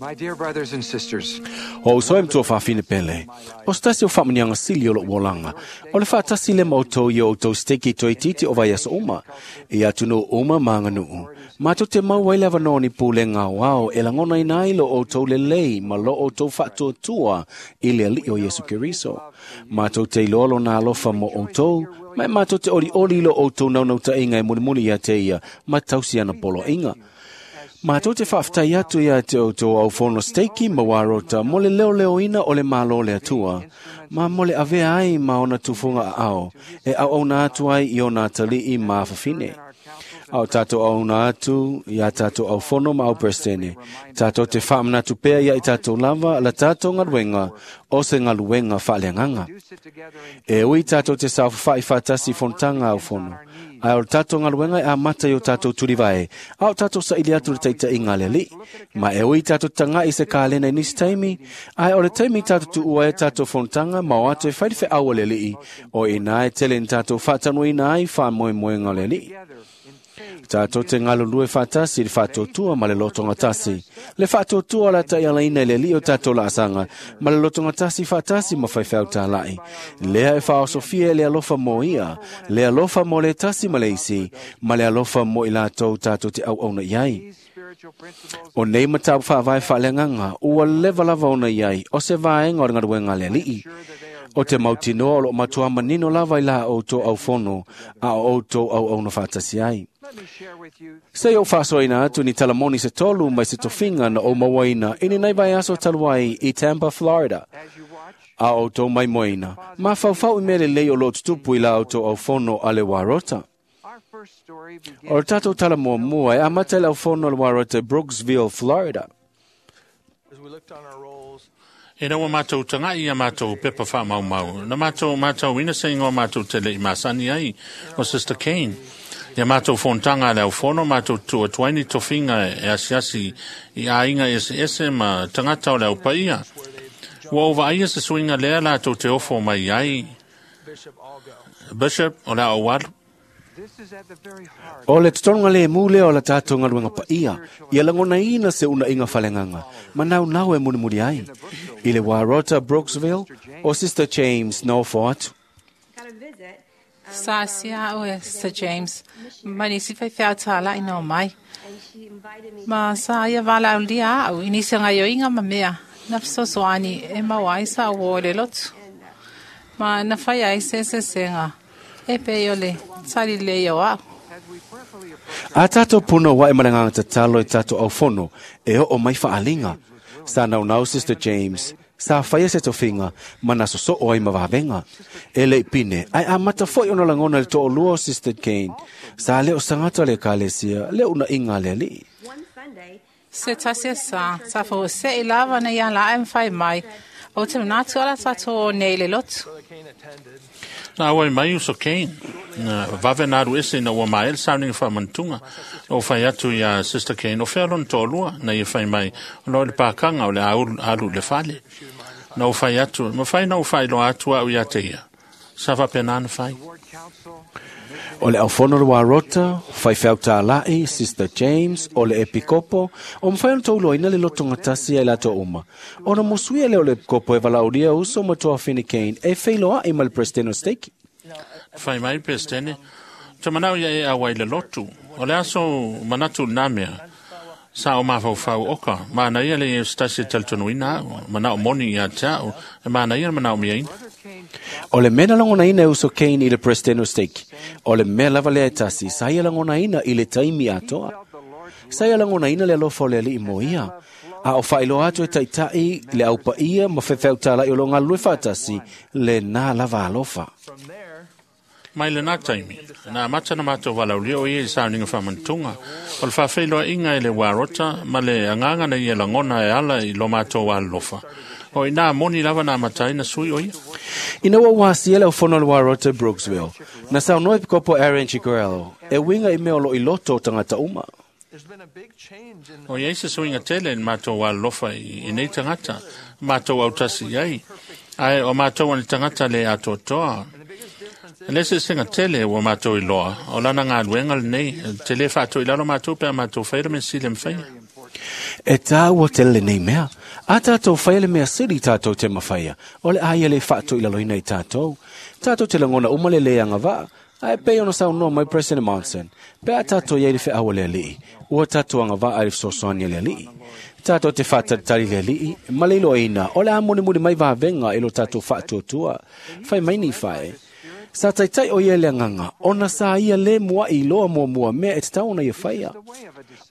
My dear brothers and sisters, O uso e matua faafine pele. O se tasi o faamaniaga sili o lo'u olaga. O le faatasi le ma outou i o outou steki toeitiiti o vaiaso uma. I atunuu uma ma aganuu. Matou te maua ai le avanoa ni pulega aoao e lagonaina ai lo outou lelei ma lo outou faatuatua i le Alii o Iesu Keriso. Matou te iloa lona alofa mo outou, ma e matou te olioli i lo outou naunautaiga e mulimuli ia te ia ma tausi ana poloaiga. Matou te faafetai atu ia te outou aufono steiki ma warota mo le leoleoina o le Malo le Atua, ma mo le avea ai ma ona tufuga aao, e auauna atu ai i ona atalii ma afafine. A o tatou auauna atu ia tatou aufono ma auperesetene, tatou te faamanatu pea ia i tatou lava la tatou galuega o se galuega faaleagaga. do sit together in E ui tatou te saofafai faatasi i fonotaga aufono, ae o le tatou galuega e amata i o tatou tulivae, a o tatou saili atu le taitaiga a le Alii. Ma e ui tatou taga'i i se kalena i nisi taimi, ae o le taimi tatou tuua ai tatou fonotaga ma o atu e fai le feau a le Alii, o i ina e tele ni tatou faatanuaina ai faamoemoega o le Alii. together in faith. Tatou te galulue faatasi i le faatuatua ma le lotogatasi. Le faatuatua o le taialaina i le Alii o tatou laasaga, ma le lotogatasi faatasi ma faifeau tāla'i. Lea e faaosofia e le alofa mo ia, le alofa mo le tasi ma le isi, ma le alofa mo i latou tatou te auauna i ai. These spiritual principles O nei mataupu faavae faaleagaga, ua leva lava ona i ai, o se vaega o le galuega a le Alii. sure that they are O te mautinoa o loo matua manino lava i la outou aufono, a o outou auauna faatasi ai. Let me share with you Se o faasoaina atu ni talamoni se tolu mai se tofiga na ou mauaina i lenei vaiaso talu ai i Tampa, Florida. as you watch A outou maimoaina, mafaufau i mea lelei o loo tutupu i la outou aufono a le Warota. our first story begins O le tatou tala muamua e amata i le aufono a le Warota i Brooksville, Florida. As we looked on our rolls, E ua mātou tangai ia mātou pepa whaamaumau. Na mātou mātou ina se ingoa mātou te lei masani ai o Sister Kane. Ia mātou fontanga le au fono, mātou tua tuaini tofinga e asiasi i ainga ese ese ma tangata o le au paia. Ua ova aia se suinga lea lātou te ofo mai ai. Bishop Algo. Bishop o le au alu. This is at the very heart O le totoga le mu lea o la tatou galuega paia, ia lagonaina se unaʻiga faleagaga, ma naunau e mulimuli ai. I le Warota Brooksville, o Sister James na ofo atu. Got a visit. Sa sia o e Sir James, ma nisi fai whea tāla i nō mai. And she invited me Ma sa ia wala au lia au, i nisi ngai o inga ma mea, na fesoasoani e mau ai sa o le lotu. Ma na whai ai se se senga, e pe o le tari le o au. as we prayerfully approach A tatou puna wa e malanganga tatalo i tatou aufono, e oo mai faaliga. Sa naunau Sister James, sa whaia se tofinga, ma na sosoo ai ma vavenga. E lei pine, ai a mata foi ona langona le to'olua o Sister Kane. Sa leo sangata le kalesia, le una inga le alii. one Sunday. Se tasia sa, sa fo se i lava na ia la em whai mai, o te manatu ala tātou o nei le lotu. Brother Kane attended. Na awai mai uso Kane. Na vave na aru ese na ua mael sauninga whamantunga. O whai atu ia Sister Kane. O whea lon tōlua na ia whai mai. O lo le pākanga o le aulu, alu le fale. Na o whai atu. Ma whai na o whai loa atu au ia te ia. Sa wapena na whai. ward council O le aufono le Warota, faifeau tāla'i, Sister James, o le Epikopo, o mwhai ona tauloina le lotonga tasi ai lato uma. Ona musuia leo le Epikopo e valaulia uso ma toa Fini Kane e wheiloa i ma le Presidente Steki. Whai mai pestene. Te manau ia e awai le lotu. O le aso manatu nā mea. Sa o mawhau oka. Mana ia le e stasi taltonuina au. Mana o moni ia te au. E mana ia mana o mia ina. Brother Kane O le mea na lagonaina e uso Kane i le Presidente Steki. O le mea lava lea e tasi, sa ia lagonaina i le taimi atoa. felt the Lord's Sa ia lagonaina le alofa o le alii mo ia. A o whailoa atu e taitai le au paia ma whewheu tālai o lo ngā lue whātasi le nā lava alofa. From there, Mai le nā taimi. Nā mata na mātou walaulia o ia i sauninga whamantunga. O le whawhailoa inga i le warota, ma le anganga na ia langona e ala i lo mātou walofa. O i nā moni lava nā matai na sui o ia. Ina ua wasia le aufono le Warota Brooksville. Na saunoa Epikopo Aaron Chicorello, e winga i mea o lo i loto o tangata uma. there's been a big change in O ia se suinga tele i mātou walofa i nei tangata. Mātou autasi ai. Ai o mātou ani tangata le atoatoa. and the biggest difference Le se singa tele ua mātou i loa. O lana ngā luenga le nei. Te le whātou i lalo mātou pēr mātou whaira me sile mwhaia. E tāua te lele nei mea. A tātou whaia le mea sili tātou te mawhaia. O le aia le whaato i laloina i tātou. Tātou te langona umale le anga vaa. Ae pei ona saunoa mai President Monson. Pe a tātou iai le wheawa le alii. Ua tātou anga vaa le fesoasoani le alii. Tātou te whātaritari le alii. Ma le iloaina, o le a mulimuli mai vavenga i lo tātou whaatuatua. Whai mai ni whae. Sa taitai o ia le anganga, ona sa ia le mua i loa mua mua mea e te taona ia whaia.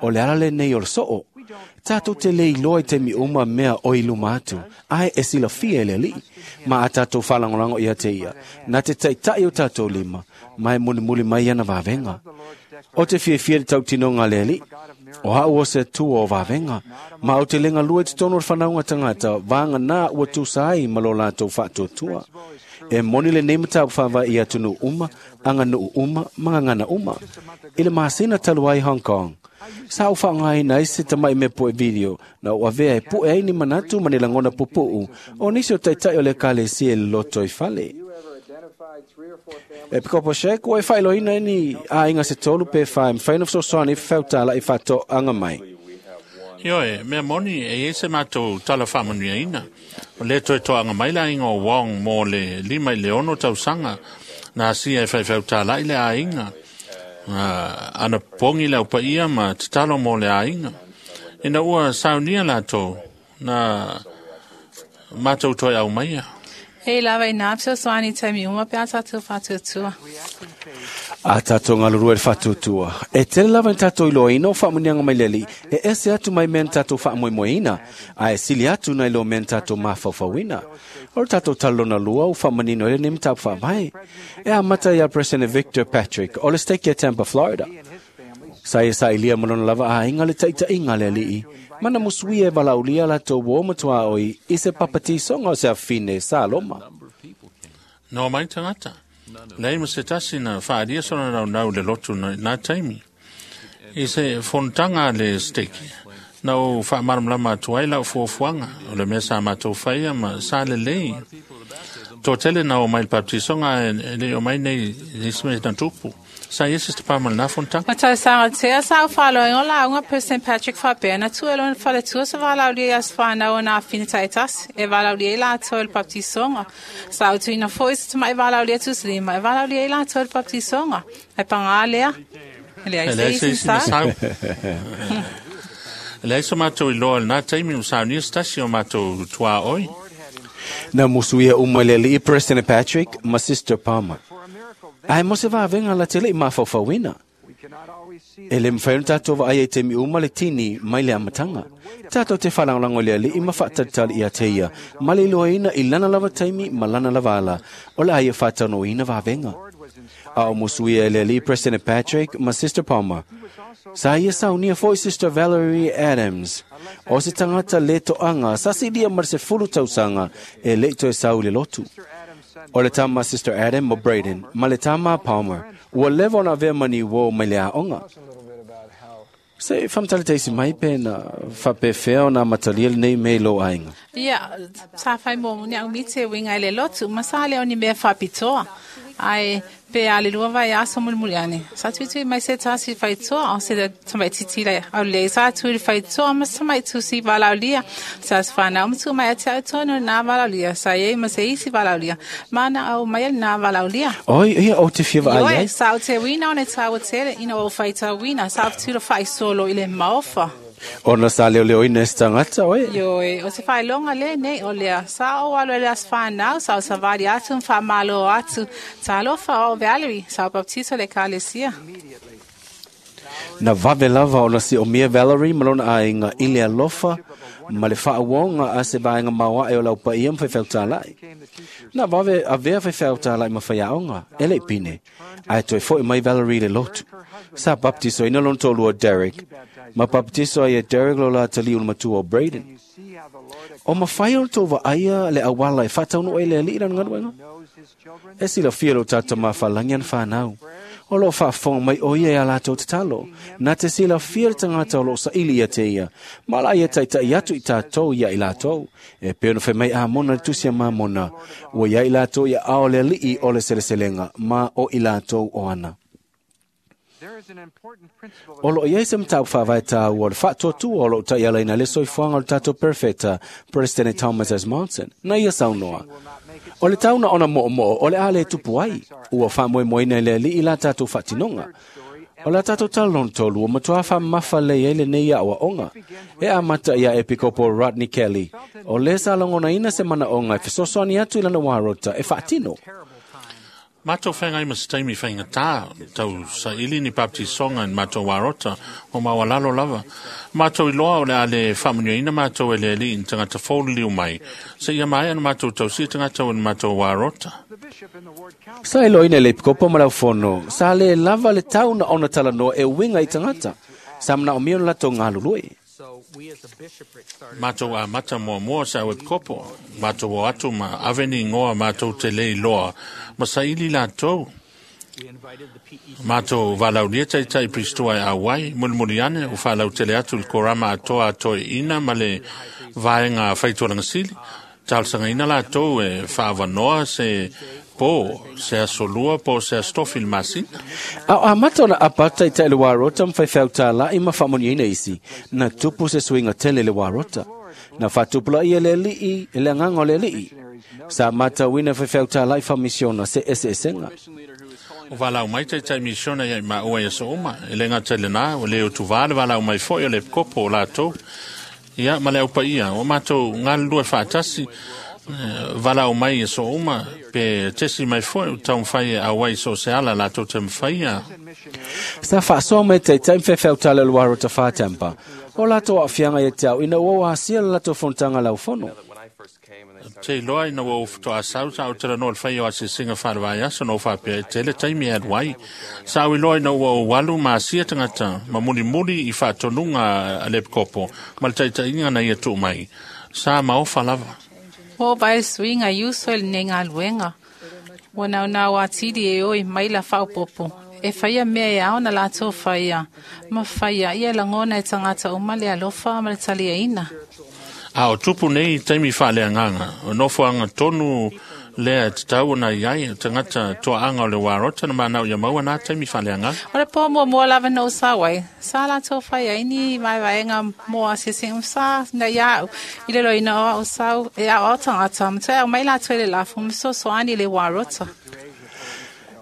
O le ala le nei o le soo. Tātou te le iloa i te mi uma mea o i luma atu, ae e silafia e le alii. Ma a tātou whalangolango ia te ia, nā te taitai o tātou lima, mai mulimuli mai ana vavenga. O te fiafia te tautinoga le alii, o hau o se tua o vavenga, ma o te lenga lua i te tono o le whanaunga tangata, vānga nā ua tūsa ai ma lo lātou whaatuatua. E moni le nei matau whawa i atunu uma, anga nuu uma, mangangana uma. I le masina talu ai Hong Kong. Sa u whaangai na isi tamai me poe video, na ua vea e poe ai ni manatu ma ni langona pupuu, o nisi o taitai o le kale si e loto i fale. E pikopo shek, ua e whailoina ni a inga se tolu pe whae, mwhaina fsosoani whautala i whato anga mai. Ioe, mea moni e iai se matou tala faamanuiaina. O lea toe toaga mai le aiga o Wong mo le 56 tausaga na asia e faifeutala'i le aiga. Ana pogi le aupaia ma tatalo mo le aiga. Ina ua saunia latou na matou toe aumaia. E lava i nā fesoasoani taimi uma pe a tātou whātuatua. A tātou ngalurua le whātuatua. E tele lava i tātou iloaina o whaamunianga mai le alii, e ese atu mai mea ni tātou whaamoemoeina, a e sili atu nai lo mea ni tātou mafaufauina. O le tātou talona lua o whaamanino ele ni matapu whaavae. E a mata ia President Victor Patrick o le stake Tampa, Florida. Sa ia sa ilia malona lava a inga le taitainga le alii. Mana musuia e valaulia la tō wō matua oi i se papatisonga o se afine sa loma. No mai tagata. Lei ma se tasi na whaaria sona nau nau le lotu na, nā taimi. I se fonotaga le steki. Na o whaamaramalama atu ai lau fuafuaga. O le mea sa matou whaia ma sa lelei. Tō tele na o mai le baptisonga e le o mai nei nisi mea na tupu. Sa ia Sister Palmer nā fonotaga. Ma tau sanga tea sa au whaloinga o launga President Patrick whapea na tu elona whaletua sa walaulia i as whanau o nā whina taitasi e walaulia i lātou le baptisonga. Sa au tuina foi se tamai walaulia tusilima e walaulia i lātou le baptisonga. Ai pangā lea. E leai E se leai se isi isi na sa. sau. E leai so matou iloa le nā taimi o saunia se tasi o matou tuā oi. Na musuia uma le alii President Patrick ma Sister Palmer. Ae mo se vavenga la tele i mafaufauina. E le mwhai ona tātou vaai ai te mi uma le tini mai le amatanga. Tātou te whalangolango le alii ma whaataritari i a te ia. Ma le iloaina i lana lava taimi ma lana lava ala. O le aia whaatanoina vavenga. A o musuia e le alii President Patrick ma Sister Palmer. Sa ia saunia foi Sister Valerie Adams. O se tangata le toanga, sa silia ma se fulu tausanga e le toe sau le lotu. O le tama Sister Adam mo Braden, ma le tama Palmer. Ua leva ona avea mani wo mai le aoga. Se whamtale teisi mai pe na whapewhea o nā matalia le nei mei lo aiga. Ia, sa whai mō muni au mite winga i le lotu, ma sa le oni mea whapitoa. Ai, pe a le lua vai aso mulimuli ane. Sa tuitui mai se tasi whaitoa, o se tamai titila au le sa tui whaitoa, ma tamai tusi valaulia. Sa whanau matu mai ate au tonu nā valaulia, sa iei ma se isi valaulia. Mana au mai al nā valaulia. Oi, ia o te whiwa ai Ioe, ai. sa o te wina o ne tāua tere, ina o whaita wina, sa o tula whai solo i le maofa. Ona sa leo leo ina se tangata, oe. Ioe, o te whailonga le nei o lea. Sa o alo le as whanau, sa o savali atu, mwha malo atu. Talofa o Valerie, sa o baptizo le kalesia. Na vave lava ona si o mia Valerie malona aiga i le alofa ma le whaawonga a se vaenga maua e o lau paia mwhai whautālai. Na vave avea whai whautālai ma whai aonga, e le pine. Ai toi foi mai Valerie le lotu. Sa baptizo ina lona tōlua Derek. Ma baptizo ai e Derek lo la tali ul matua o Braden. O mawhai o tō aia le awala e whataunu e le alii lana ngaluenga. E silafia lo tātou mawhalangi an whanau. O lo whaafonga mai o ia e a lātou tatalo. Nā te silafia le tangata o lo saili ia te ia. Ma la ia taitai atu i tātou ia i lātou. E peo no whai mai a mona le tusi a mā mona. Ua ia i lātou ia ao le alii o le seleselenga ma o i lātou o ana. O loo iai se mataupu faavae tāua o le faatuatua o loo taialaina le soifuaga o le tatou perofeta President Thomas S. Monson na ia saunoa. O le tauna ona moomoo o le a le tupu ai, ua faamoemoeina e le alii la tatou faatinoga. O la tatou tala lona tolu ua matuā faamamafa lelei ai lenei aʻoaʻoga. E amata ia Epikopo Rodney Kelly, o lē sa lagonaina se manaʻoga e fesoasoani atu i lana uarota e faatino. Matou feagai ma se taimi faigata tau saili ni baptisoga i matou arota o maualalo lava. Matou iloa o le a le faamanuiaina matou e le alii ni tagata fou liliu mai, seia maea na matou tausia tagata o ni matou arota. Sa iloaina e le epikopo ma le aufono, sa lē lava le tau na ona talanoa e uiga i tagata. Sa manaomia ona latou galulue. Matou amata muamua sa au epikopo, matou o atu ma ave ni igoa matou te le iloa, ma saili latou. Matou valaulia taitai Pristua e auai, mulimuli ane, o faalautele atu i le korama atoa atoeaina ma le vaega faitolagasili. Talosagaina latou e faavanoa se po, se aso lua po o se aso tofi i le masina. A o amata ona apa atu taitai le uarota ma faifeau tālaʻi ma faamanuiaina isi, na tupu se suiga tele i le uarota. Na faatupulaia e le alii e le agaga o le alii. Sa matauina e faifeau tālaʻi faamisiona se eseesega. O valaau mai taitai misiona ia i maua i aso uma. E le gata i lenā, ua le utuvā le valaau mai foi o le epikopo o latou. Ia, ma le aupaia, ua matou galulue faatasi, valaau mai i aso uma, pe tesi mai foi o taumafai e auai i so o se ala latou te mafaia. Sa faasoa mai taitai ma faifeau tala o le uarota whātampa. O latou aafiaga ia te au ina ua o asia le latou fonotaga laufono. Te iloa ina ua ou faatoasau sa ou talanoa i le faia o asiasiga faale-vaiaso na ou faapea e tele taimi e alu ai. Sa ou iloa ina ua ou alu ma asia tagata ma mulimuli i faatonuga a le epikopo ma le taitaiga na ia tuu mai. Sa maofa lava. Ua ova ai le suiga i uso i lenei galuega. Ua naunau atili e oi mai la faaopoopo e faia mea e ao na latou faia, ma faia ia lagona e tagata uma le alofa ma le taliaina. A o tupu nei i taimi faaleagaga, o nofoaga tonu lea e tatau ona i ai, o tagata toaaga o le uarota na manao ia maua na taimi faaleagaga. O le pō muamua lava na ou sau ai, sa latou fai ai ni vaevaega mo asiasiga sa na ia au i le loina o au sau e aoao tagata ma toe aumai latou i le lafo ma fesoasoani i le uarota.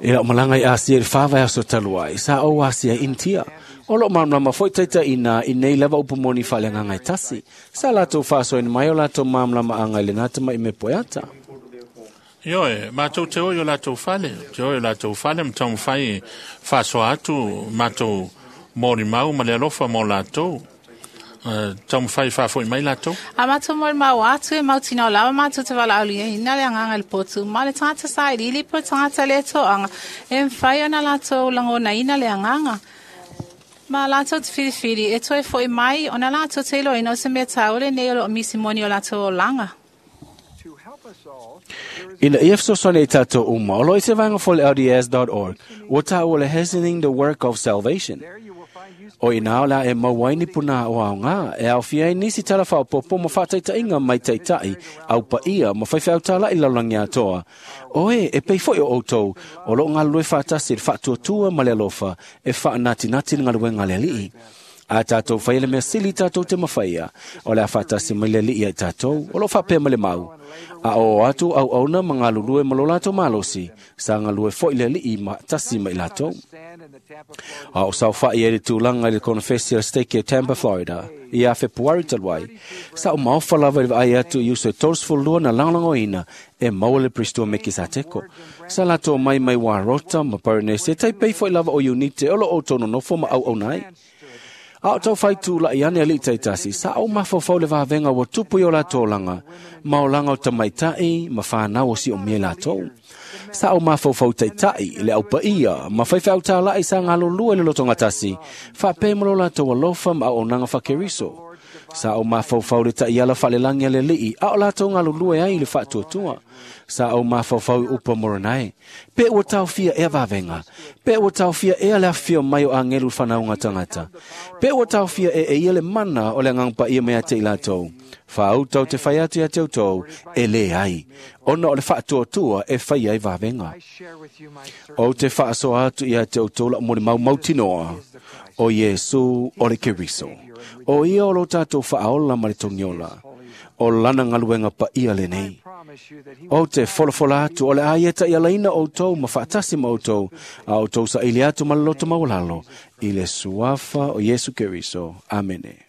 E lau malaga i Asia i le 4 vaiaso talu ai, sa ou asia i Initia. O loo malamalama foi taitaiina i nei lava upu moni faaleagaga e tasi. Sa latou faasoaina mai o latou malamalamaaga i lenā tamaʻi me poeata. Ioe, matou te o i o latou fale, te o i o latou fale ma taumafai e faasoa atu matou molimau ma le alofa mo latou. Taumafai e faafoi mai latou. A matou molimau atu e mautinoa lava matou te valaauliaina le agaga i le potu ma le tagata sailiili po o le tagata le toaga e mafai ona latou lagonaina le agaga. Ma latou te filifili e toe foʻi mai ona latou te iloaina o se mea taua lenei o loo misi moni o latou olaga. Ina ia fesoasoani i tatou uma, o loo i se vaega foi le LDS.org, ua taua le Hastening the Work of Salvation. O ina o la e maua ai ni puna o aoga, e aofia ai nisi tala faaopoopo ma faataitaiga mai taitai, au paia ma faifeau tālaʻi lalolagi atoa. O e, e pei foi o outou, o loo galulue faatasi i le faatuatua ma le alofa, e faanatinati le galuega a le alii. A tatou faia le mea sili tatou te mafaia, o le a faatasi mai le alii ai tatou, o loo faapea ma le mau. A o atu auauna ma galulue ma lo latou malosi, sa galue foi le alii ma tasi ma i latou. A o saofaʻi ai le tulaga i le konofesi a le Stake o Tampa, Florida, ia Fepuari talu ai, sa o maofa lava i le vaai atu i uso e 32 na lagolagoina e maua le Pristua Mekisateko. Sa latou mai mai Warota ma Poronese, taipei foi lava o Iunite o loo outou nonofo ma auauna ai. A o taufai tulaʻi ane alii taitasi, sa ou mafaufau le vavega ua tupu i o latou olaga, ma olaga o tamaitaʻi ma fanau o siomia i latou. Sa ou mafaufau taitaʻi, le aupaia, ma faifeau tālaʻi sa galulue i le lotogatasi, faapea ma lo latou alofa ma auaunaga faakeriso. Sa ou mafaufau le taiala faalelagi a le alii, a o latou galulue ai i le faatuatua. Sa ou mafaufau i upu a Moronae. Pe ua taofia ea vavega. Pe ua taofia ea le afifio mai o agelu i fanauga tagata. Pe ua taofia e e ia le mana o le agaga paia mai ia te i latou. Faauta o te fai atu ia te outou, e lē ai, ona o le faatuatua e faia ai vavega. I share with you my O certain te faasoa atu ia te outou la'u molimau mautinoa, o Iesu o le Keriso. O ia o lo tatou faaola ma le togiola, o lana galuega paia lenei. promise you that he O te folafola atu o le a ia ta'ialaina outou ma faatasi ma outou, a outou saʻili atu ma le loto maualalo, i le suafa o Iesu Keriso. Amene.